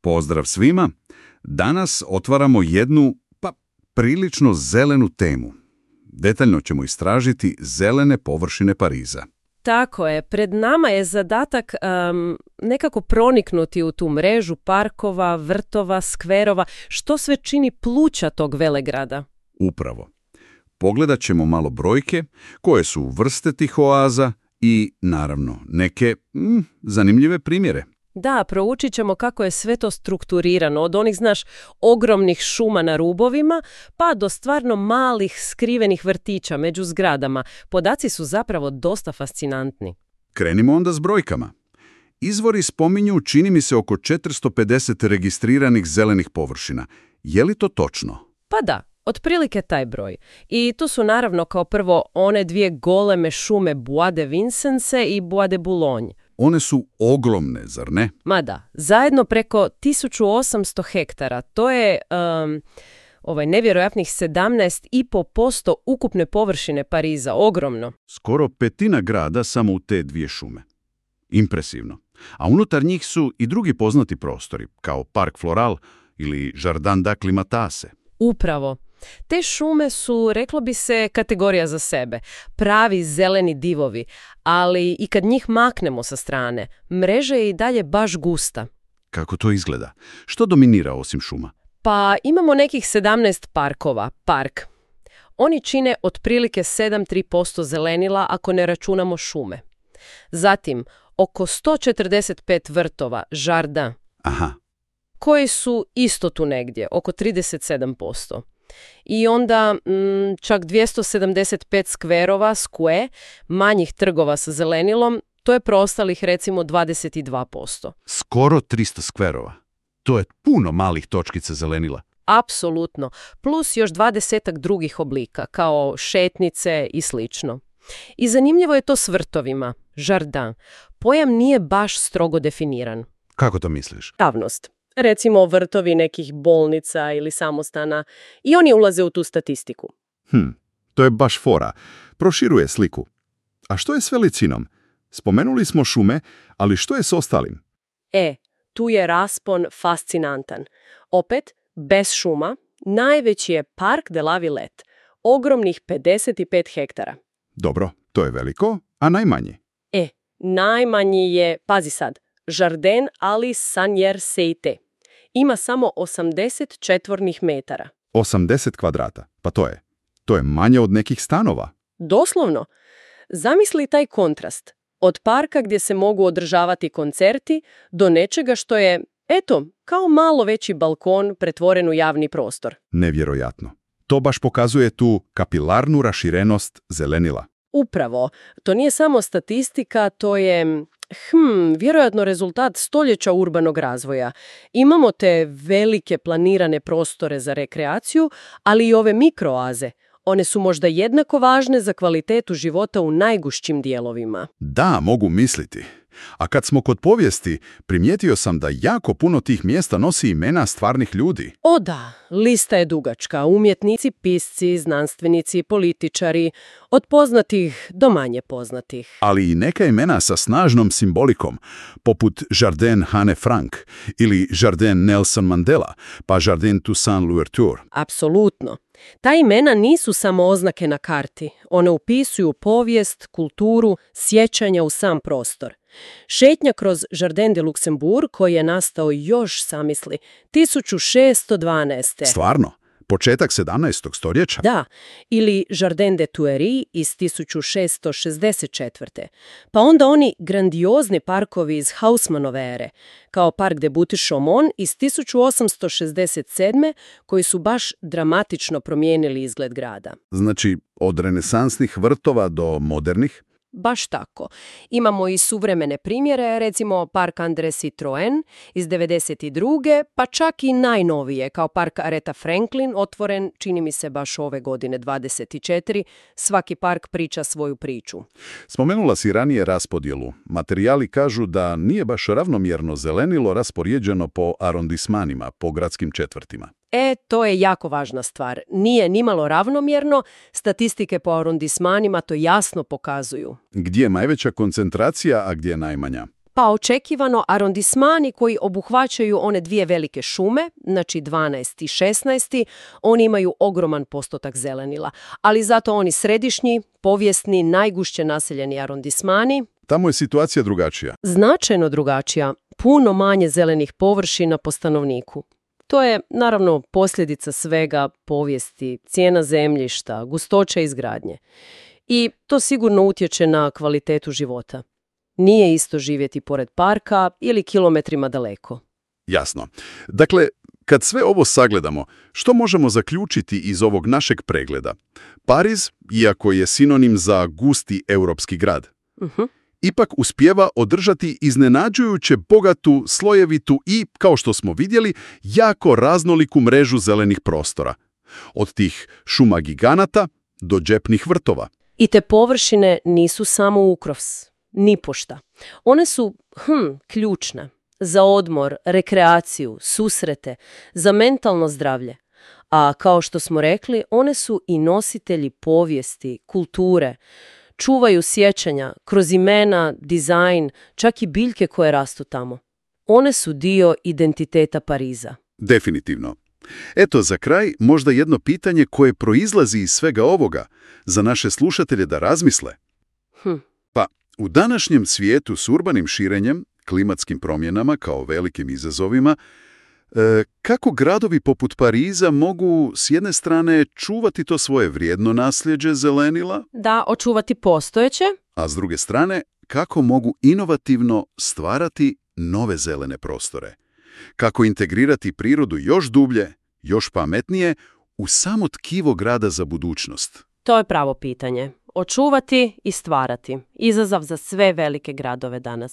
Pozdrav svima! Danas otvaramo jednu, prilično zelenu temu. Detaljno ćemo istražiti zelene površine Pariza. Tako je, pred nama je zadatak nekako proniknuti u tu mrežu parkova, vrtova, skverova, što sve čini pluća tog velegrada. Upravo. Pogledat ćemo malo brojke, koje su vrste tih oaza i, naravno, neke zanimljive primjere. Da, proučit ćemo kako je sve to strukturirano, od onih, ogromnih šuma na rubovima, pa do stvarno malih skrivenih vrtića među zgradama. Podaci su zapravo dosta fascinantni. Krenimo onda s brojkama. Izvori spominju, čini mi se, oko 450 registriranih zelenih površina. Je li to točno? Pa da, otprilike taj broj. I tu su naravno kao prvo one dvije goleme šume Bois de Vincennes i Bois de Boulogne. One su ogromne, zar ne? Ma da, zajedno preko 1800 hektara. To je nevjerojatnih 17,5% ukupne površine Pariza. Ogromno. Skoro petina grada samo u te dvije šume. Impresivno. A unutar njih su i drugi poznati prostori, kao Park Floral ili Jardin d'Acclimatase. Upravo. Te šume su, reklo bi se, kategorija za sebe. Pravi zeleni divovi, ali i kad njih maknemo sa strane, mreža je i dalje baš gusta. Kako to izgleda? Što dominira osim šuma? Pa imamo nekih 17 parkova, park. Oni čine otprilike 7,3% zelenila ako ne računamo šume. Zatim, oko 145 vrtova, Jardin, koji su isto tu negdje, oko 37%. I onda čak 275 skverova, square, manjih trgova sa zelenilom, to je preostalih recimo 22%. Skoro 300 skverova. To je puno malih točkica zelenila. Apsolutno. Plus još 20 drugih oblika, kao šetnice i slično. I zanimljivo je to s vrtovima, Jardin. Pojam nije baš strogo definiran. Kako to misliš? Javnost. Recimo vrtovi nekih bolnica ili samostana, i oni ulaze u tu statistiku. To je baš fora. Proširuje sliku. A što je s veličinom? Spomenuli smo šume, ali što je s ostalim? Tu je raspon fascinantan. Opet, bez šuma, najveći je Parc de la Villette, ogromnih 55 hektara. Dobro, to je veliko, a najmanji? Najmanji je, pazi sad, Jardin Ali Sagnières-Seite. Ima samo 80 četvornih metara. 80 kvadrata, pa to je manje od nekih stanova. Doslovno. Zamisli taj kontrast. Od parka gdje se mogu održavati koncerti do nečega što je, kao malo veći balkon pretvoren u javni prostor. Nevjerojatno. To baš pokazuje tu kapilarnu raširenost zelenila. Upravo. To nije samo statistika, to je vjerojatno rezultat stoljeća urbanog razvoja. Imamo te velike planirane prostore za rekreaciju, ali i ove mikroaze. One su možda jednako važne za kvalitetu života u najgušćim dijelovima. Da, mogu misliti. A kad smo kod povijesti, primijetio sam da jako puno tih mjesta nosi imena stvarnih ljudi. O da, lista je dugačka. Umjetnici, pisci, znanstvenici, političari, od poznatih do manje poznatih. Ali i neka imena sa snažnom simbolikom, poput Jardin Anne Frank ili Jardin Nelson Mandela, pa Jardin Toussaint Louverture. Apsolutno. Ta imena nisu samo oznake na karti. One upisuju povijest, kulturu, sjećanja u sam prostor. Šetnja kroz Jardin de Luxembourg, koji je nastao još, zamisli, 1612. Stvarno? Početak 17. stoljeća? Da, ili Jardin de Tuileries iz 1664. Pa onda oni grandiozni parkovi iz Haussmannove ere, kao Parc de Buttes-Chaumont iz 1867. koji su baš dramatično promijenili izgled grada. Znači, od renesansnih vrtova do modernih? Baš tako. Imamo i suvremene primjere, recimo Park André Citroën iz 92. pa čak i najnovije, kao Park Aretha Franklin, otvoren, čini mi se baš ove godine 24. Svaki park priča svoju priču. Spomenula si ranije raspodjelu. Materijali kažu da nije baš ravnomjerno zelenilo raspoređeno po arondismanima, po gradskim četvrtima. To je jako važna stvar. Nije nimalo ravnomjerno, statistike po arondismanima to jasno pokazuju. Gdje je najveća koncentracija, a gdje je najmanja? Pa očekivano arondismani koji obuhvaćaju one dvije velike šume, znači 12. i 16. oni imaju ogroman postotak zelenila, ali zato oni središnji, povijesni, najgušće naseljeni arondismani, Tamo je situacija drugačija. značajno drugačija, puno manje zelenih površina po stanovniku. To je, naravno, posljedica svega povijesti, cijena zemljišta, gustoća izgradnje. I to sigurno utječe na kvalitetu života. Nije isto živjeti pored parka ili kilometrima daleko. Jasno. Dakle, kad sve ovo sagledamo, što možemo zaključiti iz ovog našeg pregleda? Pariz, iako je sinonim za gusti europski grad, ipak uspijeva održati iznenađujuće bogatu, slojevitu i, kao što smo vidjeli, jako raznoliku mrežu zelenih prostora. Od tih šuma giganata do džepnih vrtova. I te površine nisu samo ukrovs, nipošta. One su, ključne. Za odmor, rekreaciju, susrete, za mentalno zdravlje. A kao što smo rekli, one su i nositelji povijesti, kulture. Čuvaju sjećanja kroz imena, dizajn, čak i biljke koje rastu tamo. One su dio identiteta Pariza. Definitivno. Eto, za kraj možda jedno pitanje koje proizlazi iz svega ovoga za naše slušatelje da razmisle. Pa, u današnjem svijetu s urbanim širenjem, klimatskim promjenama kao velikim izazovima, kako gradovi poput Pariza mogu s jedne strane čuvati to svoje vrijedno nasljeđe zelenila, Da, očuvati postojeće, a s druge strane kako mogu inovativno stvarati nove zelene prostore? Kako integrirati prirodu još dublje, još pametnije u samo tkivo grada za budućnost? to je pravo pitanje. Očuvati i stvarati. Izazov za sve velike gradove danas.